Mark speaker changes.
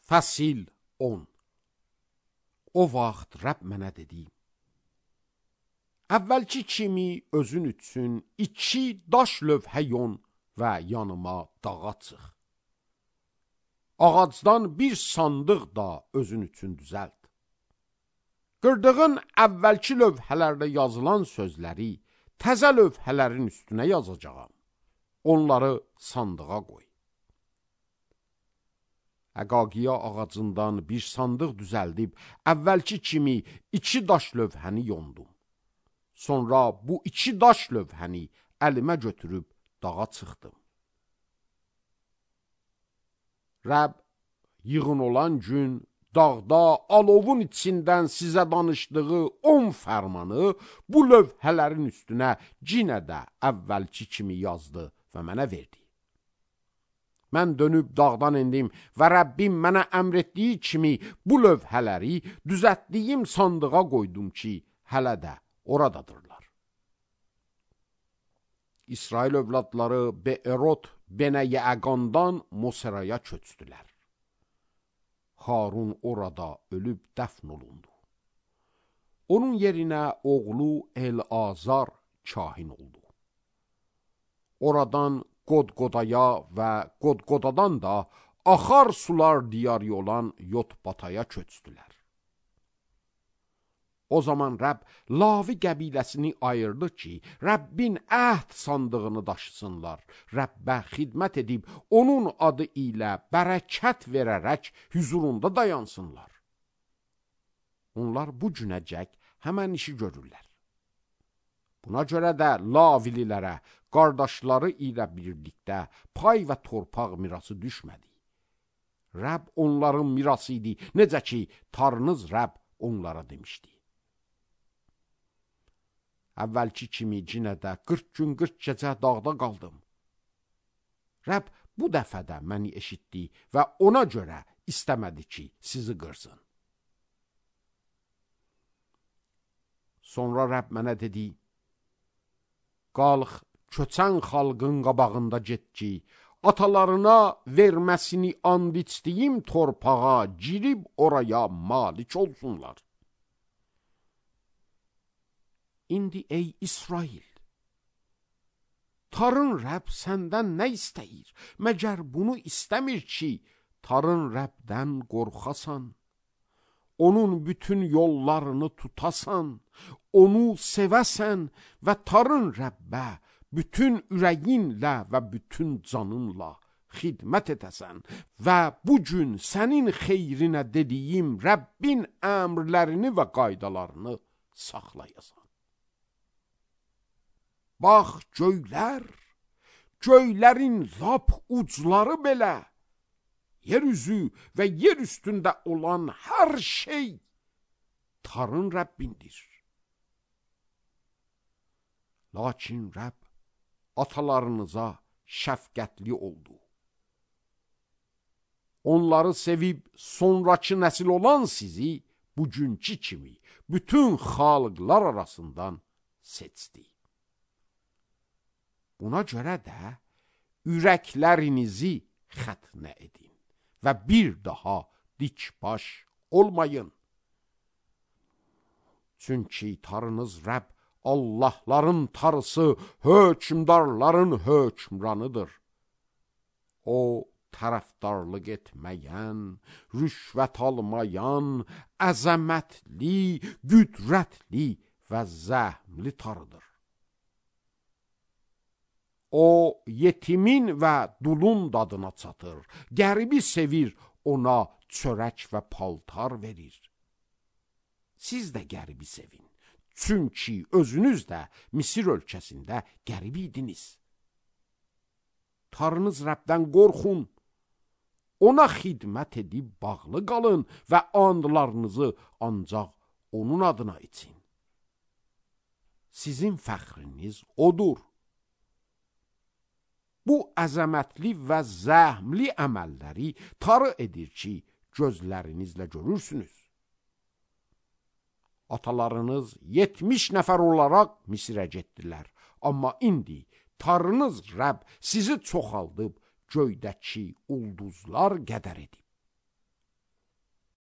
Speaker 1: Fəsil 10. O vaxt Rəbb mənə dedi: əvvəlki kimi özün üçün 2 daş lövhə yon və yanıma dağa çıx. Ağacdan bir sandıq da özün üçün düzəlt. Qırdığın əvvəlki lövhələrdə yazılan sözləri təzə lövhələrin üstünə yazacağam. Onları sandığa qoy. Əqaqiya ağacından bir sandıq düzəldib, əvvəlki kimi 2 daş lövhəni yondum. Sonra bu 2 daş lövhəni əlimə götürüb dağa çıxdım. Rəbb yığın olan gün dağda alovun içindən sizə danışdığı 10 fərmanı bu lövhələrin üstünə yenə də əvvəlki kimi yazdı və mənə verdi. Mən dönüb dağdan endim və Rəbbim mənə əmr etdiyi kimi bu lövhələri düzəltdiyim sandığa qoydum ki, hələ də oradadırlar. İsrail övladları Beerot Benəyəqandan Moseraya köçdülər. Harun orada ölüb dəfn olundu. Onun yerinə oğlu El-Azar kahin oldu. Oradan Qodqodaya və Qodqodadan da axar sular diyarı olan Yotbataya köçdülər. O zaman Rəbb Lavi qəbiləsini ayırdı ki, Rəbbin əhd sandığını daşısınlar, Rəbbə xidmət edib, onun adı ilə bərəkət verərək hüzurunda dayansınlar. Onlar bu günəcək həmən işi görürlər. Buna görə də Lavililərə, qardaşları ilə birlikdə pay və torpaq mirası düşmədi. Rəbb onların mirası idi, necə ki, Tanrınız Rəbb onlara demişdi. Əvvəlki kimi yenə də 40 gün 40 gecə dağda qaldım. Rəbb bu dəfə də məni eşitdi və ona görə istəmədi ki, sizi qırsın. Sonra Rəbb mənə dedi: qalx, köçən xalqın qabağında get ki, atalarına verməsini and içdiyim torpağa girib oraya malik olsunlar. İndi ey İsrail, Tanrın Rəbb səndən nə istəyir? Məgər bunu istəmir ki, Tanrın Rəbbdən qorxasan, onun bütün yollarını tutasan, onu sevəsən və Tanrın Rəbbə bütün ürəyinlə və bütün canınla xidmət edəsən və bu gün sənin xeyrinə dediyim Rəbbin əmrlərini və qaydalarını saxlayasan. Bax, göylərin lap ucları belə, yer üzü və yer üstündə olan hər şey Tanrın Rəbbindir. Lakin Rəbb atalarınıza şəfqətli oldu. Onları sevib sonrakı nəsil olan sizi bugünkü kimi bütün xalqlar arasından seçdi. Buna görə də ürəklərinizi xətnə edin və bir daha dikbaş olmayın. Çünki Tanrınız Rəbb Allahların Tanrısı, hökmdarların hökmranıdır. O, tərəfdarlıq etməyən, rüşvət almayan, əzəmətli, qüdrətli və zəhmli Tanrıdır. O, yetimin və dulun dadına çatır, qəribi sevir, ona çörək və paltar verir. Siz də qəribi sevin, çünki özünüz də Misir ölkəsində qərib idiniz. Tanrınız Rəbbdən qorxun, ona xidmət edib bağlı qalın və andlarınızı ancaq onun adına için. Sizin fəxriniz odur. Bu əzəmətli və zəhmli əməlləri Tanrı edir ki, gözlərinizlə görürsünüz. Atalarınız 70 nəfər olaraq Misirə getdilər, amma indi Tanrınız Rəbb sizi çoxaldıb göydəki ulduzlar qədər edib.